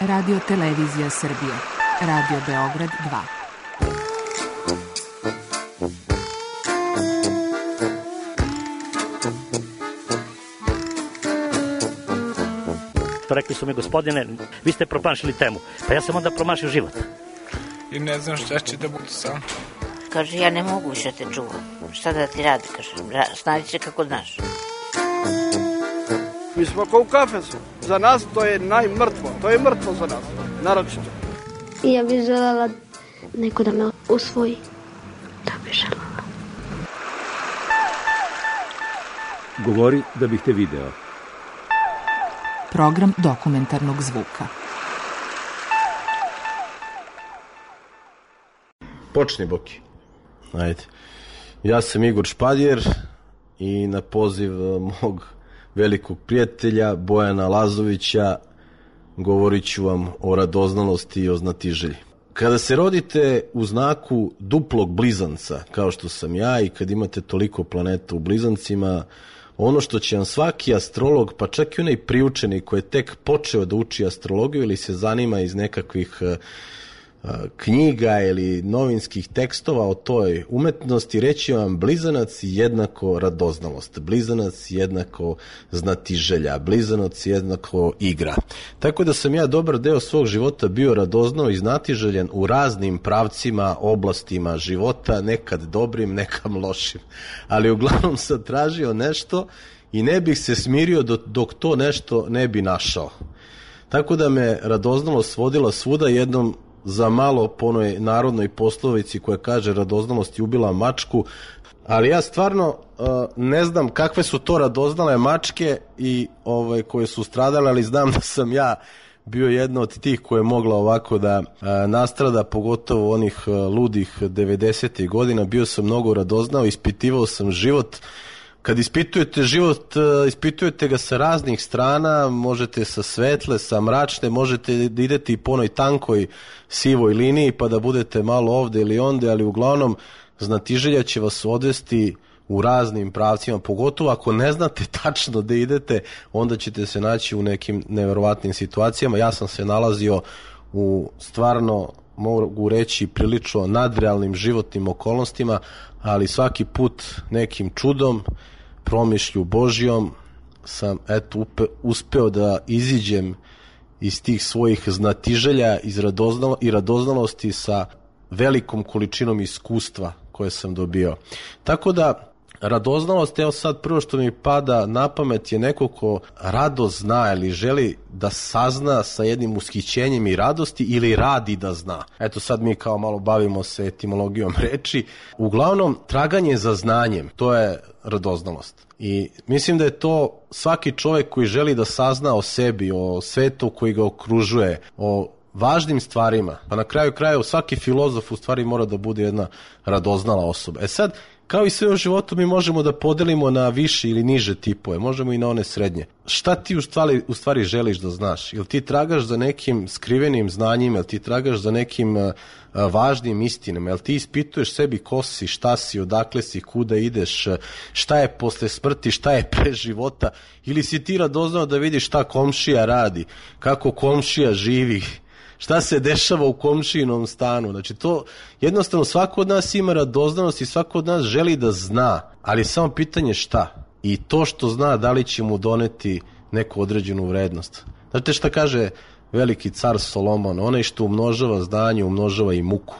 Radio Televizija Srbije, Radio Beograd 2. Rekli su mi, gospodine, vi ste promašili temu. Pa ja sam onda promašio život. I ne znam šta će da bude sam. Kaže, ja ne mogu više te čuvam. Šta da ti radi, kaže, snađi se kako znaš. Mi smo kao u kafesu. Za nas to je najmrtvo. To je mrtvo za nas, naročito. Ja bih želela neko da me usvoji. Da bih želela. Govori da bih te video. Program dokumentarnog zvuka. Počni, Boki. Ajde. Ja sam Igor Špadjer i na poziv mog velikog prijatelja Bojana Lazovića govorit ću vam o radoznalosti i o znatiželji. Kada se rodite u znaku duplog blizanca, kao što sam ja, i kad imate toliko planeta u blizancima, ono što će vam svaki astrolog, pa čak i onaj priučeni koji je tek počeo da uči astrologiju ili se zanima iz nekakvih knjiga ili novinskih tekstova o toj umetnosti, reći vam blizanac jednako radoznalost, blizanac jednako znatiželja, blizanac jednako igra. Tako da sam ja dobar deo svog života bio radoznao i znatiželjan u raznim pravcima, oblastima života, nekad dobrim, nekad lošim. Ali uglavnom sam tražio nešto i ne bih se smirio dok to nešto ne bi našao. Tako da me radoznalost vodila svuda, jednom za malo po onoj narodnoj poslovici koja kaže radoznalost je ubila mačku, ali ja stvarno ne znam kakve su to radoznale mačke i koje su stradale, ali znam da sam ja bio jedna od tih koja je mogla ovako da nastrada, pogotovo onih ludih 90. godina. Bio sam mnogo radoznao, ispitivao sam život. Kad ispitujete život, ispitujete ga sa raznih strana, možete sa svetle, sa mračne, možete da idete i po onoj tankoj sivoj liniji pa da budete malo ovde ili onde, ali uglavnom znatiželja će vas odvesti u raznim pravcima, pogotovo ako ne znate tačno da idete, onda ćete se naći u nekim neverovatnim situacijama. Ja sam se nalazio u stvarno, mogu reći, prilično nadrealnim životnim okolnostima, ali svaki put nekim čudom, promišlju Božjom sam uspeo da iziđem iz tih svojih znatiželja i radoznalosti sa velikom količinom iskustva koje sam dobio. Tako da radoznalost, evo sad prvo što mi pada na pamet je neko ko rado zna ili želi da sazna sa jednim ushićenjem i radosti ili radi da zna. Eto sad mi kao malo bavimo se etimologijom reči. Uglavnom, traganje za znanjem, to je radoznalost. I mislim da je to svaki čovjek koji želi da sazna o sebi, o svetu koji ga okružuje, o važnim stvarima. Pa na kraju krajeva svaki filozof u stvari mora da bude jedna radoznala osoba. E sad, kao i sve u životu, mi možemo da podelimo na više ili niže tipove, možemo i na one srednje. Šta ti u stvari želiš da znaš? Jel ti tragaš za nekim skrivenim znanjima, jel ti tragaš za nekim važnim istinama, jel ti ispituješ sebi ko si, šta si, odakle si, kuda ideš, šta je posle smrti, šta je pre života, ili si ti radoznao da vidiš šta komšija radi, kako komšija živi, šta se dešava u komšijinom stanu. Znači to jednostavno svako od nas ima radoznanost i svako od nas želi da zna, ali samo pitanje šta. I to što zna, da li će mu doneti neku određenu vrednost. Znate šta kaže veliki car Solomon? Onaj što umnožava znanje, umnožava i muku.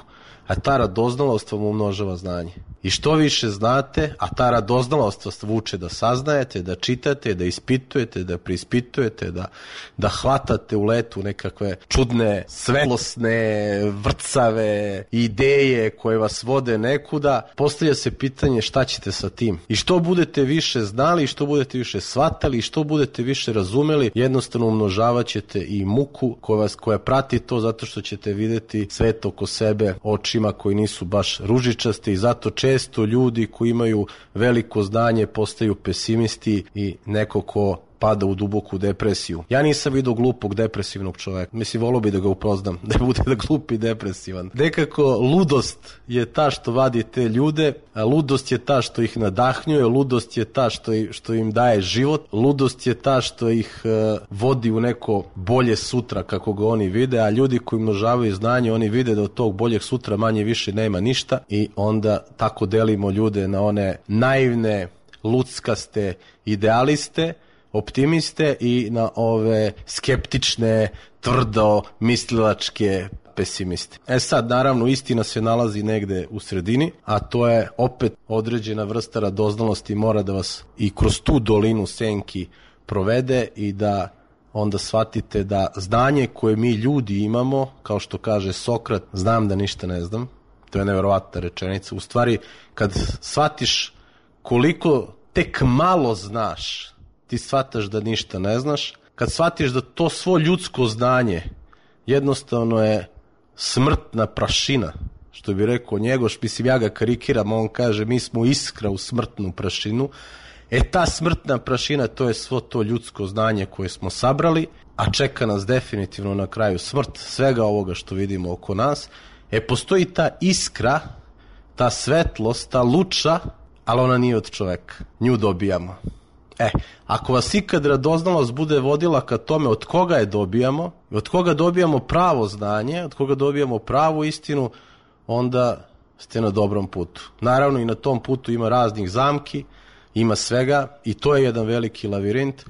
A ta radoznalost vam umnožava znanje. I što više znate, a ta radoznalost vas vuče da saznajete, da čitate, da ispitujete, da preispitujete, da hvatate u letu nekakve čudne, svetlosne, vrcave ideje koje vas vode nekuda, postavlja se pitanje šta ćete sa tim. I što budete više znali, što budete više shvatali, što budete više razumeli, jednostavno umnožavat ćete i muku koja prati to, zato što ćete videti svet oko sebe očima koji nisu baš ružičasti i zato često ljudi koji imaju veliko znanje postaju pesimisti i neko ko pada u duboku depresiju. Ja nisam vidio glupog depresivnog čoveka. Mislim, volio bi da ga upoznam, da bude da glup i depresivan. Nekako ludost je ta što vadi te ljude, a ludost je ta što ih nadahnjuje, ludost je ta što im daje život, ludost je ta što ih vodi u neko bolje sutra kako ga oni vide, a ljudi koji množavaju znanje, oni vide da od tog boljeg sutra manje više nema ništa i onda tako delimo ljude na one naivne, luckaste idealiste, optimiste i na ove skeptične, tvrdo mislilačke pesimiste. Sad, naravno, istina se nalazi negde u sredini, a to je opet određena vrsta radoznalosti mora da vas i kroz tu dolinu senki provede i da onda shvatite da znanje koje mi ljudi imamo, kao što kaže Sokrat, znam da ništa ne znam, to je neverovatna rečenica. U stvari, kad shvatiš koliko tek malo znaš, ti shvataš da ništa ne znaš. Kad shvatiš da to svo ljudsko znanje jednostavno je smrtna prašina, što bi rekao Njegoš, mislim ja ga karikiram, on kaže mi smo iskra u smrtnu prašinu. Ta smrtna prašina, to je svo to ljudsko znanje koje smo sabrali, a čeka nas definitivno na kraju smrt svega ovoga što vidimo oko nas. Postoji ta iskra, ta svetlost, ta luča, ali ona nije od čoveka. Nju dobijamo. Ako vas ikad radoznalost bude vodila ka tome od koga je dobijamo, od koga dobijamo pravo znanje, od koga dobijamo pravu istinu, onda ste na dobrom putu. Naravno i na tom putu ima raznih zamki, ima svega i to je jedan veliki lavirint,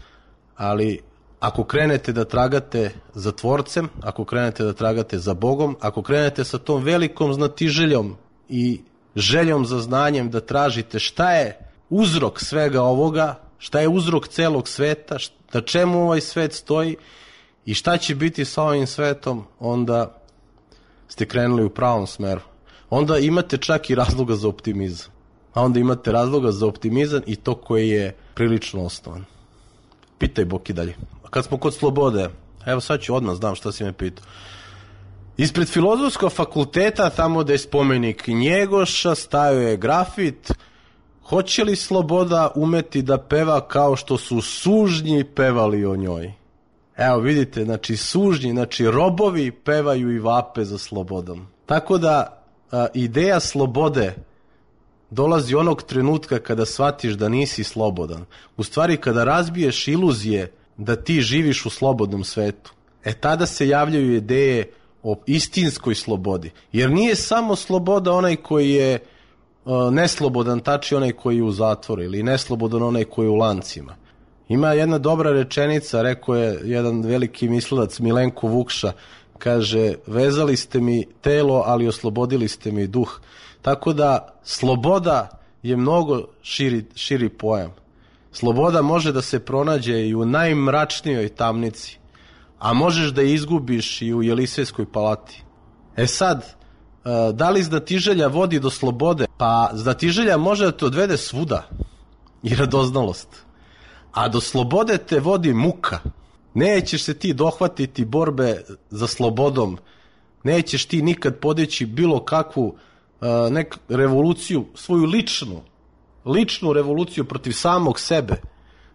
ali ako krenete da tragate za Tvorcem, ako krenete da tragate za Bogom, ako krenete sa tom velikom znatiželjom i željom za znanjem da tražite šta je uzrok svega ovoga, šta je uzrok celog sveta, na čemu ovaj svet stoji i šta će biti sa ovim svetom, onda ste krenuli u pravom smeru. Onda imate čak i razloga za optimizam. A onda imate razloga za optimizam i to koji je prilično osnovan. Pitaj Boki dalje. Kad smo kod slobode, evo sad ću odmah, znam šta si me pitao. Ispred Filozofskog fakulteta, tamo da je spomenik Njegoša, stajao je grafit: hoće li sloboda umeti da peva kao što su sužnji pevali o njoj? Evo vidite, znači sužnji, znači robovi pevaju i vape za slobodom. Tako da ideja slobode dolazi onog trenutka kada shvatiš da nisi slobodan. U stvari kada razbiješ iluzije da ti živiš u slobodnom svetu, tada se javljaju ideje o istinskoj slobodi. Jer nije samo sloboda onaj koji je neslobodan, tači onaj koji je u zatvoru, ili neslobodan onaj koji je u lancima. Ima jedna dobra rečenica, rekao je jedan veliki mislilac Milenko Vukša, kaže: vezali ste mi telo, ali oslobodili ste mi duh. Tako da sloboda je mnogo širi pojam. Sloboda može da se pronađe i u najmračnijoj tamnici, a možeš da je izgubiš i u Jelisejskoj palati. Sad, da li znatiželja vodi do slobode? Pa znatiželja može da te odvede svuda i radoznalost. A do slobode te vodi muka. Nećeš se ti dohvatiti borbe za slobodom. Nećeš ti nikad podići bilo kakvu revoluciju, svoju ličnu revoluciju protiv samog sebe,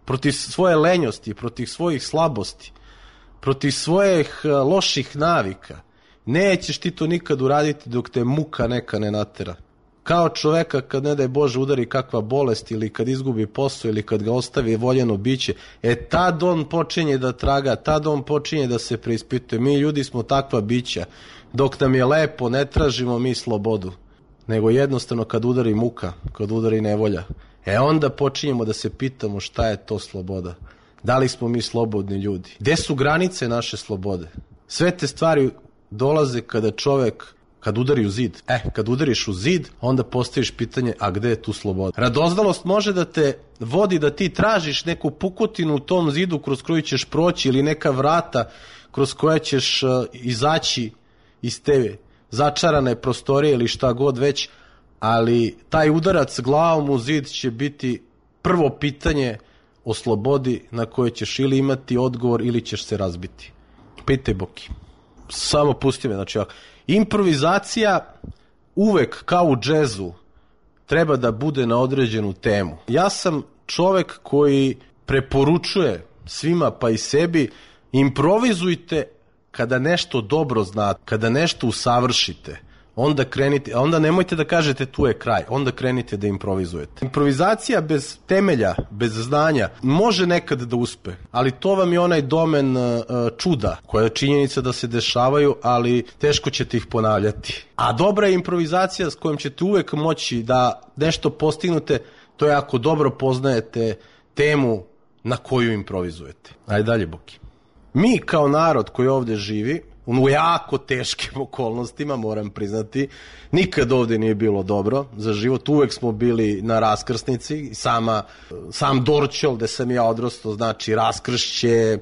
protiv svoje lenjosti, protiv svojih slabosti, protiv svojih loših navika. Nećeš ti to nikad uraditi dok te muka neka ne natera. Kao čoveka kad ne daj Bože udari kakva bolest ili kad izgubi posao ili kad ga ostavi voljeno biće, tad on počinje da traga, tad on počinje da se preispituje. Mi ljudi smo takva bića. Dok nam je lepo ne tražimo mi slobodu, nego jednostavno kad udari muka, kad udari nevolja, onda počinjemo da se pitamo šta je to sloboda. Da li smo mi slobodni ljudi? Gde su granice naše slobode? Sve te stvari dolaze kada čovek, kad udari u zid. Kad udariš u zid, onda postaviš pitanje, a gde je tu sloboda? Radoznalost može da te vodi da ti tražiš neku pukotinu u tom zidu kroz koju ćeš proći ili neka vrata kroz koja ćeš izaći iz te začarane prostorije ili šta god već, ali taj udarac glavom u zid će biti prvo pitanje o slobodi na koje ćeš ili imati odgovor ili ćeš se razbiti. Pitaj Boki. Samo pusti me, znači improvizacija uvek kao u džezu treba da bude na određenu temu. Ja sam čovek koji preporučuje svima pa i sebi, improvizujte kada nešto dobro znate, kada nešto usavršite. Onda nemojte da kažete tu je kraj, onda krenite da improvizujete. Improvizacija bez temelja, bez znanja, može nekad da uspe, ali to vam je onaj domen čuda, koja je činjenica da se dešavaju, ali teško ćete ih ponavljati. A dobra je improvizacija s kojom ćete uvek moći da nešto postignute, to je ako dobro poznajete temu na koju improvizujete. Ajde dalje, Boki. Mi kao narod koji ovde živi, u jako teškim okolnostima, moram priznati, nikad ovde nije bilo dobro za život, uvek smo bili na raskrsnici, sam Dorćol gde sam ja odrastao, znači raskršće,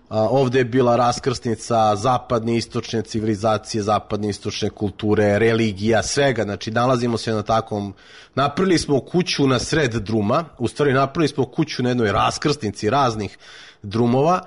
ovde je bila raskrsnica zapadne istočne civilizacije, zapadne istočne kulture, religija, svega, znači nalazimo se na takvom, napravili smo kuću na sred druma, u stvari napravili smo kuću na jednoj raskrsnici raznih drumova,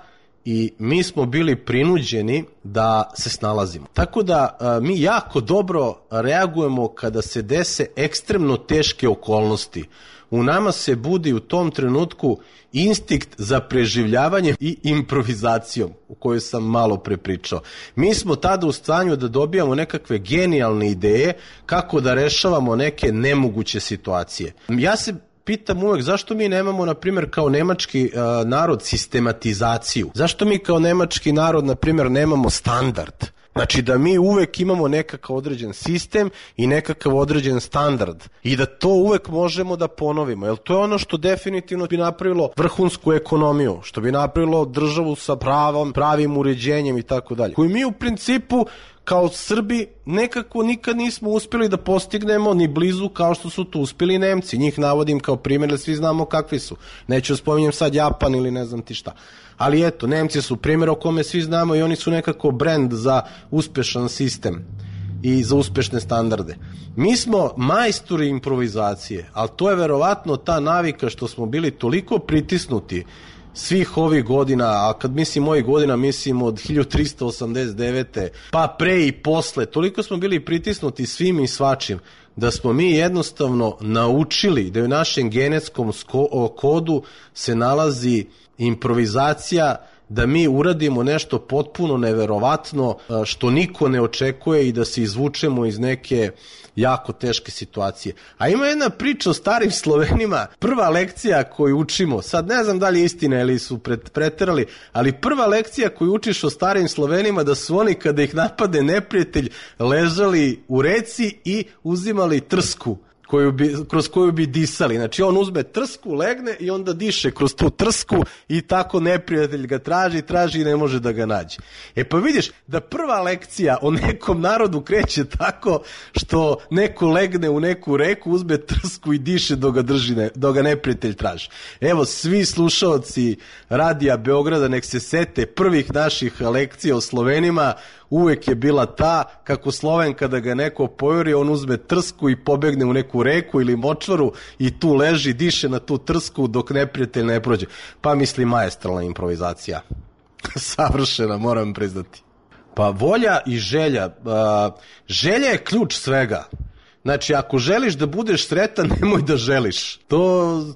i mi smo bili prinuđeni da se snalazimo. Tako da mi jako dobro reagujemo kada se dese ekstremno teške okolnosti. U nama se budi u tom trenutku instinkt za preživljavanje i improvizacijom, o kojoj sam malo prepričao. Mi smo tada u stanju da dobijamo nekakve genijalne ideje kako da rešavamo neke nemoguće situacije. Ja se pitam uvek zašto mi nemamo, na primjer, kao nemački narod sistematizaciju. Zašto mi kao nemački narod, na primjer, nemamo standard? Znači da mi uvek imamo nekakav određen sistem i nekakav određen standard i da to uvek možemo da ponovimo. Jer to je ono što definitivno bi napravilo vrhunsku ekonomiju, što bi napravilo državu sa pravim uređenjem i tako dalje. Koji mi u principu kao Srbi nekako nikad nismo uspjeli da postignemo ni blizu kao što su to uspjeli Nemci. Njih navodim kao primjer, jer svi znamo kakvi su. Neću spominjem sad Japan ili ne znam ti šta. Ali eto, Nemci su primjer o kome svi znamo i oni su nekako brend za uspešan sistem i za uspešne standarde. Mi smo majstori improvizacije, ali to je verovatno ta navika što smo bili toliko pritisnuti svih ovih godina, a kad mislim ovih godina, mislim od 1389. pa pre i posle, toliko smo bili pritisnuti svim i svačim, da smo mi jednostavno naučili da u našem genetskom kodu se nalazi improvizacija, da mi uradimo nešto potpuno neverovatno što niko ne očekuje i da se izvučemo iz neke jako teške situacije. A ima jedna priča o starim Slovenima, prva lekcija koju učimo, sad ne znam da li je istina ili su preterali, ali prva lekcija koju učiš o starim Slovenima da su oni kada ih napade neprijatelj ležali u reci i uzimali trsku kroz koju bi disali. Znači on uzme trsku, legne i onda diše kroz tu trsku i tako neprijatelj ga traži i ne može da ga nađe. E pa vidiš da prva lekcija o nekom narodu kreće tako što neko legne u neku reku, uzme trsku i diše dok ga neprijatelj traži. Evo, svi slušaoci Radija Beograda nek se sete prvih naših lekcija o Slovenima, uvek je bila ta kako Sloven kada ga neko pojuri, on uzme trsku i pobegne u neku reku ili močvaru i tu leži, diše na tu trsku dok neprijatelj ne prođe. Pa misli maestralna improvizacija. Savršena, moram priznati. Pa volja i želja. Želja je ključ svega. Znači, ako želiš da budeš sretan, nemoj da želiš.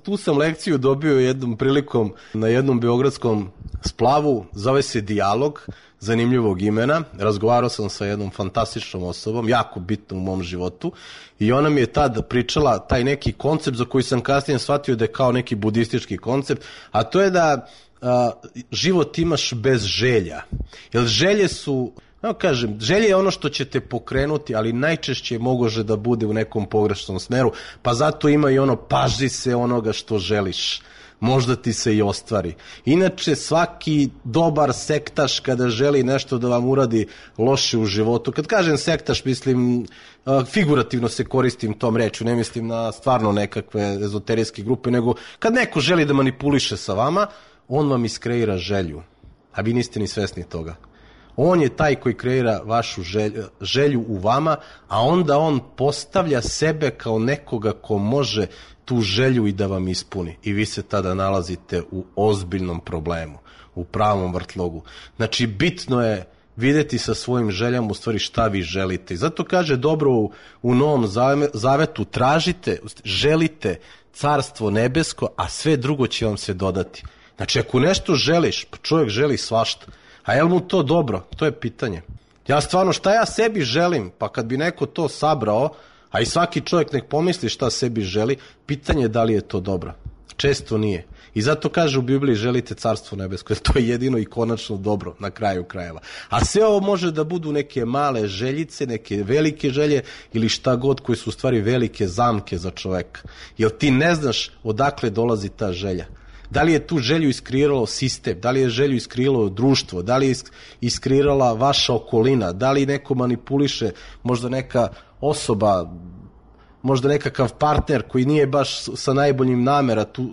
Tu sam lekciju dobio jednom prilikom na jednom beogradskom splavu, zove se Dijalog, zanimljivog imena. Razgovarao sam sa jednom fantastičnom osobom, jako bitnom u mom životu, i ona mi je tad pričala taj neki koncept za koji sam kasnije shvatio da je kao neki budistički koncept, a to je da život imaš bez želja. Jer želje su... želje je ono što će te pokrenuti, ali najčešće može da bude u nekom pogrešnom smeru, pa zato ima i ono paži se onoga što želiš, možda ti se i ostvari. Inače, svaki dobar sektaš kada želi nešto da vam uradi loše u životu, kad kažem sektaš, mislim, figurativno se koristim tom rečju, ne mislim na stvarno nekakve ezoterijske grupe, nego kad neko želi da manipuliše sa vama, on vam iskreira želju, a vi niste ni svesni toga. On je taj koji kreira vašu želju u vama, a onda on postavlja sebe kao nekoga ko može tu želju i da vam ispuni. I vi se tada nalazite u ozbiljnom problemu, u pravom vrtlogu. Znači, bitno je videti sa svojim željama u stvari šta vi želite. I zato kaže dobro u Novom Zavetu, tražite, želite carstvo nebesko, a sve drugo će vam se dodati. Znači, ako nešto želiš, pa čovjek želi svašta. A je li mu to dobro? To je pitanje. Ja stvarno, šta ja sebi želim? Pa kad bi neko to sabrao, a i svaki čovjek nek pomisli šta sebi želi, pitanje je da li je to dobro. Često nije. I zato kaže u Bibliji želite carstvo nebesko, jer to je jedino i konačno dobro na kraju krajeva. A sve ovo može da budu neke male željice, neke velike želje ili šta god koji su u stvari velike zamke za čoveka. Jer ti ne znaš odakle dolazi ta želja. Da li je tu želju iskreiralo sistem, da li je želju iskreiralo društvo, da li je iskreirala vaša okolina, da li neko manipuliše, možda neka osoba, možda nekakav partner koji nije baš sa najboljim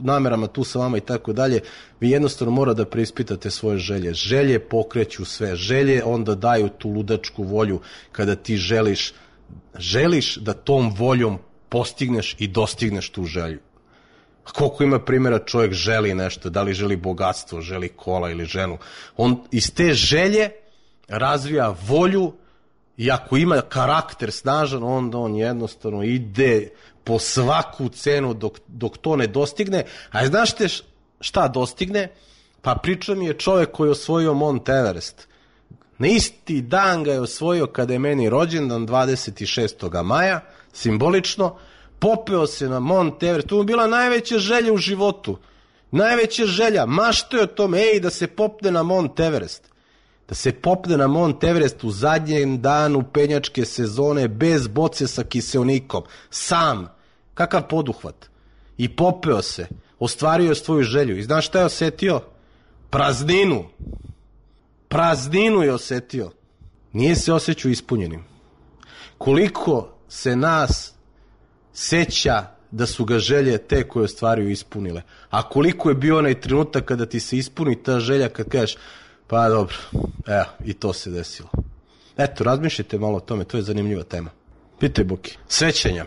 namerama tu sa vama i tako dalje. Vi jednostavno mora da preispitate svoje želje. Želje pokreću sve. Želje onda daju tu ludačku volju kada ti želiš da tom voljom postigneš i dostigneš tu želju. Koliko ima primjera čovjek želi nešto, da li želi bogatstvo, želi kola ili ženu. On iz te želje razvija volju i ako ima karakter snažan, onda on jednostavno ide po svaku cenu dok to ne dostigne. A znašte šta dostigne? Pa priča mi je čovjek koji je osvojio Mount Everest. Na isti dan ga je osvojio kada je meni rođendan, 26. maja, simbolično. Popeo se na Mount Everest, to mu bila najveća želja u životu. Najveća želja, mašto je o tome, da se popne na Mount Everest. Da se popne na Mount Everest u zadnjem danu penjačke sezone bez boce sa kiseonikom. Sam. Kakav poduhvat. I popeo se. Ostvario je svoju želju. I znaš šta je osetio? Prazninu. Prazninu je osetio. Nije se osjećao ispunjenim. Koliko se nas seća da su ga želje te koje ostvaruju ispunile. A koliko je bio onaj trenutak kada ti se ispuni ta želja kad kažeš pa dobro, evo, i to se desilo. Eto, razmišljajte malo o tome, to je zanimljiva tema. Pitaj Buki. Sećanja.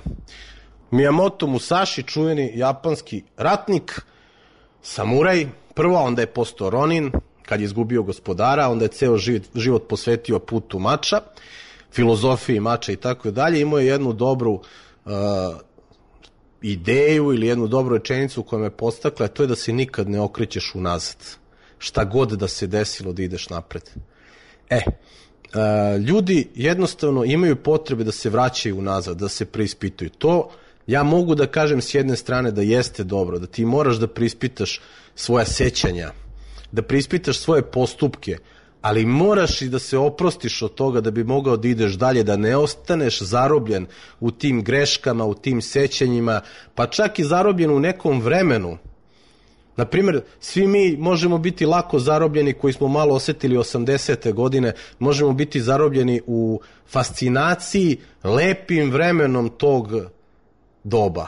Miyamoto Musashi, čuveni japanski ratnik, samuraj, prvo, onda je postao ronin, kad je izgubio gospodara, onda je ceo život posvetio putu mača, filozofiji mača i tako dalje. Imao je jednu dobru ideju ili jednu dobru rečenicu koja me postakla, a to je da se nikad ne okrećeš unazad. Šta god da se desilo da ideš napred. Ljudi jednostavno imaju potrebe da se vraćaju unazad, da se preispituju. To ja mogu da kažem s jedne strane da jeste dobro, da ti moraš da preispitaš svoja sećanja, da preispitaš svoje postupke, ali moraš i da se oprostiš od toga da bi mogao da ideš dalje, da ne ostaneš zarobljen u tim greškama, u tim sećanjima, pa čak i zarobljen u nekom vremenu. Naprimjer, svi mi možemo biti lako zarobljeni koji smo malo osetili 80. godine, možemo biti zarobljeni u fascinaciji lepim vremenom tog doba.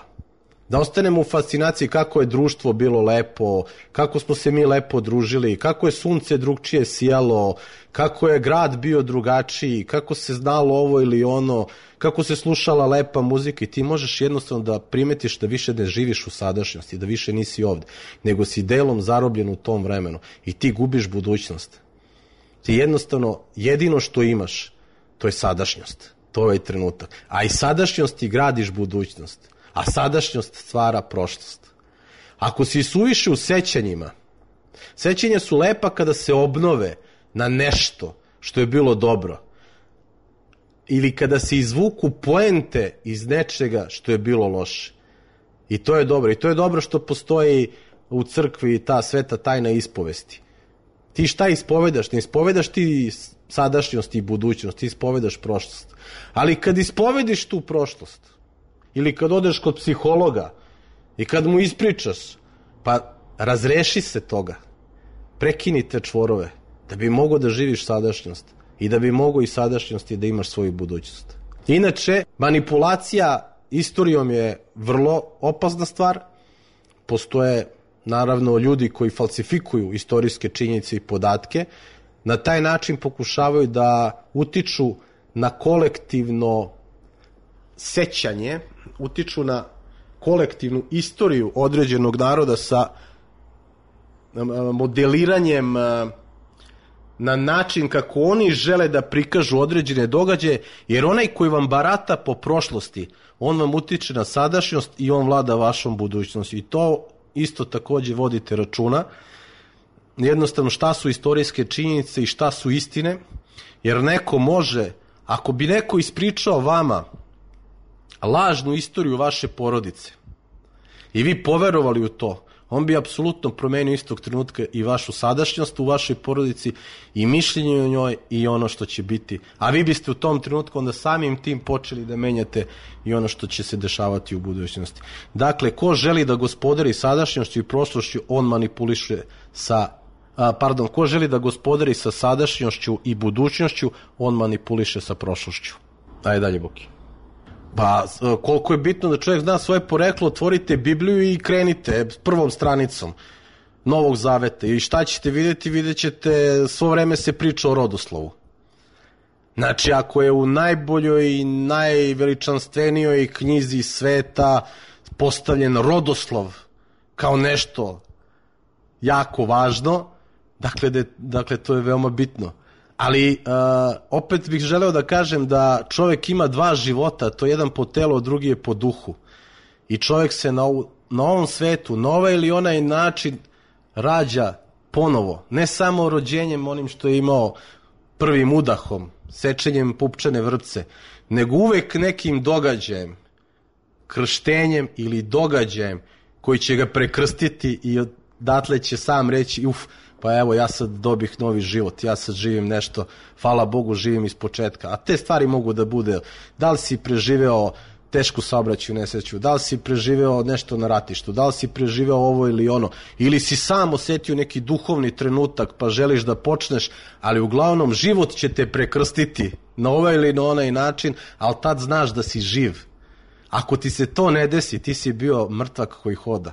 Da ostanemo u fascinaciji kako je društvo bilo lepo, kako smo se mi lepo družili, kako je sunce drugčije sijalo, kako je grad bio drugačiji, kako se znalo ovo ili ono, kako se slušala lepa muzika i ti možeš jednostavno da primetiš da više ne živiš u sadašnjosti, da više nisi ovde, nego si delom zarobljen u tom vremenu i ti gubiš budućnost. Ti jednostavno jedino što imaš, to je sadašnjost, to je ovaj trenutak. A iz sadašnjosti gradiš budućnost. A sadašnjost stvara prošlost. Ako si suviše u sećanjima, sećanja su lepa kada se obnove na nešto što je bilo dobro. Ili kada se izvuku poente iz nečega što je bilo loše. I to je dobro. I to je dobro što postoji u crkvi ta sveta tajna ispovesti. Ti šta ispovedaš? Ne ispovedaš ti sadašnjost i budućnost, ti ispovedaš prošlost. Ali kad ispovediš tu prošlost, ili kad odeš kod psihologa i kad mu ispričaš, pa razreši se toga. Prekini te čvorove da bi mogao da živiš sadašnjost i da bi mogao i sadašnjosti da imaš svoju budućnost. Inače, manipulacija istorijom je vrlo opasna stvar. Postoje, naravno, ljudi koji falsifikuju istorijske činjenice i podatke. Na taj način pokušavaju da utiču na kolektivno sećanje, utiču na kolektivnu istoriju određenog naroda sa modeliranjem na način kako oni žele da prikažu određene događaje, jer onaj koji vam barata po prošlosti, on vam utiče na sadašnjost i on vlada vašom budućnosti. I to isto takođe vodite računa. jednostavno šta su istorijske činjenice i šta su istine, jer neko može, ako bi neko ispričao vama lažnu istoriju vaše porodice i vi poverovali u to, on bi apsolutno promenio istog trenutka i vašu sadašnjost u vašoj porodici i mišljenje o njoj i ono što će biti. A vi biste u tom trenutku onda samim tim počeli da menjate i ono što će se dešavati u budućnosti. Dakle, ko želi da gospodari sadašnjošću i prošlošću, on manipuliše ko želi da gospodari sa sadašnjošću i budućnošću, on manipuliše sa prošlošću. Ajde dalje, Boki. Pa, koliko je bitno da čovjek zna svoje poreklo, otvorite Bibliju i krenite prvom stranicom Novog Zaveta. I šta ćete vidjeti? Vidjet ćete, svo vreme se priča o rodoslovu. Znači, ako je u najboljoj i najveličanstvenijoj knjizi sveta postavljen rodoslov kao nešto jako važno, dakle to je veoma bitno. Ali opet bih želeo da kažem da čovjek ima dva života, to je jedan po telu, a drugi je po duhu. I čovjek se na ovom svetu, na ovaj ili onaj način rađa ponovo. Ne samo rođenjem onim što je imao prvim udahom, sečenjem pupčane vrpce, nego uvek nekim događajem, krštenjem ili događajem koji će ga prekrstiti i odatle će sam reći pa evo ja sad dobih novi život, ja sad živim nešto, hvala Bogu živim iz početka. A te stvari mogu da bude, da li si preživeo tešku saobraćajnu nesreću, da li si preživeo nešto na ratištu, da li si preživeo ovo ili ono, ili si sam osetio neki duhovni trenutak pa želiš da počneš, ali uglavnom život će te prekrstiti na ovaj ili na onaj način, ali tad znaš da si živ. Ako ti se to ne desi, ti si bio mrtvak koji hoda.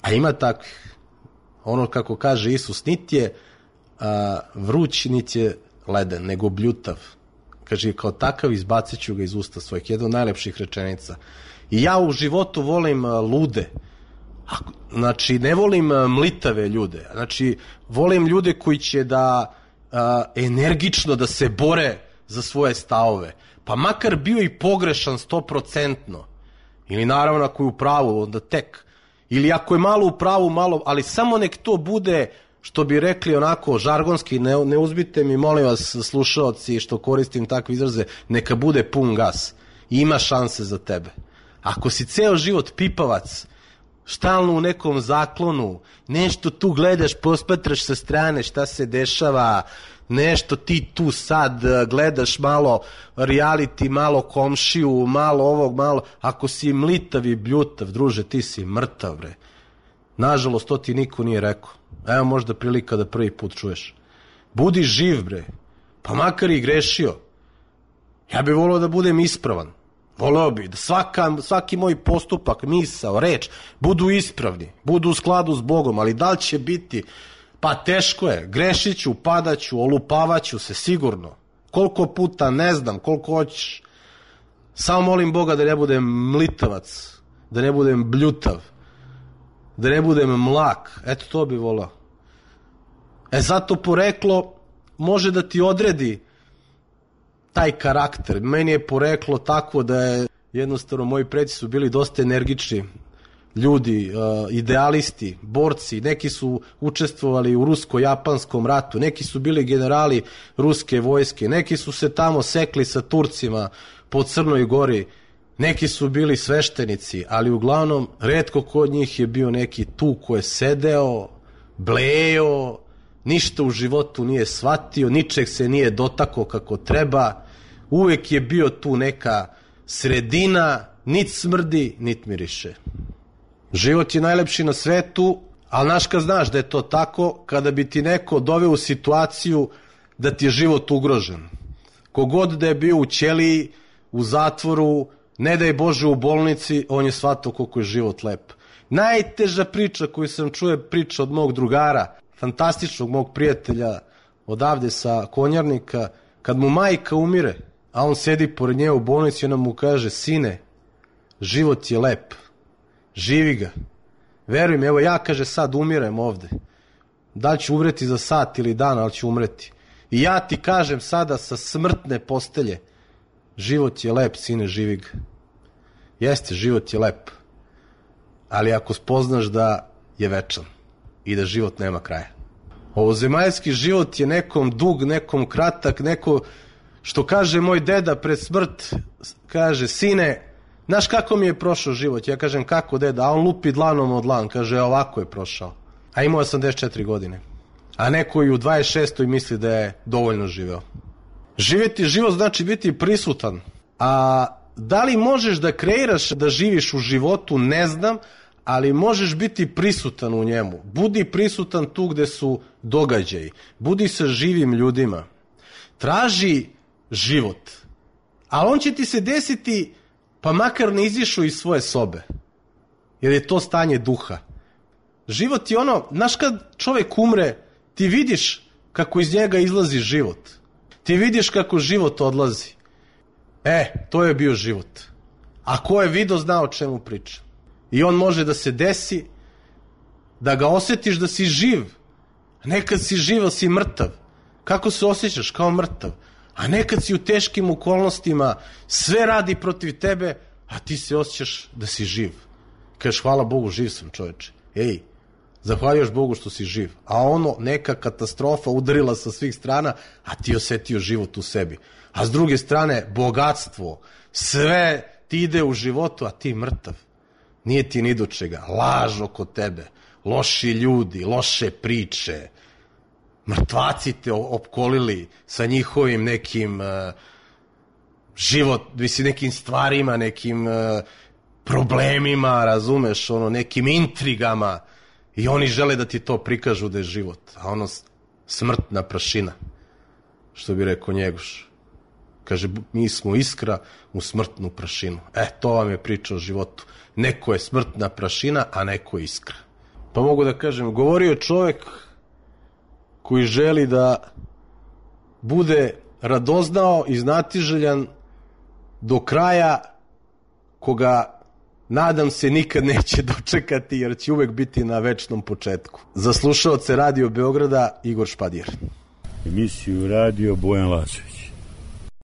A ima takvih. Ono kako kaže Isus, niti je vruć, niti je leden, nego bljutav. Kaže, kao takav izbacit ću ga iz usta svojih. Jedna od najlepših rečenica. I ja u životu volim lude. Znači, ne volim mlitave ljude. Znači, volim ljude koji će da energično da se bore za svoje stavove. Pa makar bio i pogrešan 100%. Ili naravno ako je u pravu, onda tek. Ili ako je malo u pravu, malo, ali samo nek to bude, što bi rekli onako žargonski, ne uzbite mi, molim vas, slušaoci, što koristim takve izraze, neka bude pun gas. I ima šanse za tebe. Ako si ceo život pipavac, stalno u nekom zaklonu, nešto tu gledaš, posmatraš sa strane šta se dešava, nešto ti tu sad gledaš malo reality, malo komšiju, malo ovog, malo... Ako si mlitav i bljutav, druže, ti si mrtav, bre. Nažalost, to ti niko nije rekao. Evo možda prilika da prvi put čuješ. Budi živ, bre. Pa makar i grešio. Ja bih volio da budem ispravan. Voleo bih da svaki moj postupak, misao, reč, budu ispravni, budu u skladu s Bogom, ali da li će biti... Pa teško je, grešit ću, padaću, olupavaću se sigurno. Koliko puta, ne znam, koliko hoćeš. Samo molim Boga da ne budem mlitavac, da ne budem bljutav, da ne budem mlak. Eto to bi volao. Zato poreklo može da ti odredi taj karakter. Meni je poreklo takvo da je jednostavno moji preci su bili dosta energični ljudi, idealisti, borci, neki su učestvovali u rusko-japanskom ratu, neki su bili generali ruske vojske, neki su se tamo sekli sa Turcima po Crnoj Gori, neki su bili sveštenici, ali uglavnom retko kod njih je bio neki tu ko je sedeo, blejao, ništa u životu nije shvatio, ničeg se nije dotakao kako treba, uvek je bio tu neka sredina, nit smrdi, nit miriše. Život je najlepši na svetu, ali znaš kad znaš da je to tako, kada bi ti neko doveo u situaciju da ti je život ugrožen. Kogod da je bio u ćeliji, u zatvoru, ne daj Bože u bolnici, on je shvatao koliko je život lep. Najteža priča koju sam čuo je priča od mog drugara, fantastičnog mog prijatelja odavde sa Konjarnika, kad mu majka umire, a on sedi pored nje u bolnici i ona mu kaže, sine, život je lep. Živi ga. Veruj mi, evo ja, kaže, sad umirem ovde. Da li ću umreti za sat ili dan, ali ću umreti. I ja ti kažem sada sa smrtne postelje, život je lep, sine, živi ga. Jeste, život je lep. Ali ako spoznaš da je večan. i da život nema kraja. Ovozemaljski život je nekom dug, nekom kratak, neko, što kaže moj deda pred smrt, kaže, sine, znaš kako mi je prošao život? Ja kažem, kako deda? A on lupi dlanom od dlan, kaže, ovako je prošao. A imao 84 godine. A neko i u 26. misli da je dovoljno živeo. Živjeti život znači biti prisutan. A da li možeš da kreiraš da živiš u životu, ne znam, ali možeš biti prisutan u njemu. Budi prisutan tu gde su događaji. Budi sa živim ljudima. Traži život. Ali on će ti se desiti, pa makar ne izišao iz svoje sobe. Jer je to stanje duha. Život je ono, znaš kad čovjek umre, ti vidiš kako iz njega izlazi život. Ti vidiš kako život odlazi. To je bio život. A ko je video, zna o čemu priča. I on može da se desi, da ga osjetiš da si živ. A nekad si živ, ali si mrtav. Kako se osjećaš? Kao mrtav. A nekad si u teškim okolnostima, sve radi protiv tebe, a ti se osjećaš da si živ. Kažeš, hvala Bogu, živ sam, čoveče. Zahvaljuš Bogu što si živ. A ono, neka katastrofa udarila sa svih strana, a ti osjetio život u sebi. A s druge strane, bogatstvo, sve ti ide u životu, a ti mrtav. Nije ti ni do čega. Laž oko tebe, loši ljudi, loše priče. Mrtvaci te opkolili sa njihovim nekim nekim stvarima, nekim problemima, razumeš, nekim intrigama. I oni žele da ti to prikažu da je život. A ono, smrtna prašina. Što bi rekao Njegoš. Kaže, mi smo iskra u smrtnu prašinu. To vam je priča o životu. Neko je smrtna prašina, a neko je iskra. Pa mogu da kažem, govorio je čovjek koji želi da bude radoznao i znatiželjan do kraja, koga nadam se nikad neće dočekati, jer će uvek biti na večnom početku. Za slušaoce Radio Beograda, Igor Špadjer. Emisiju radio Bojan Lazović.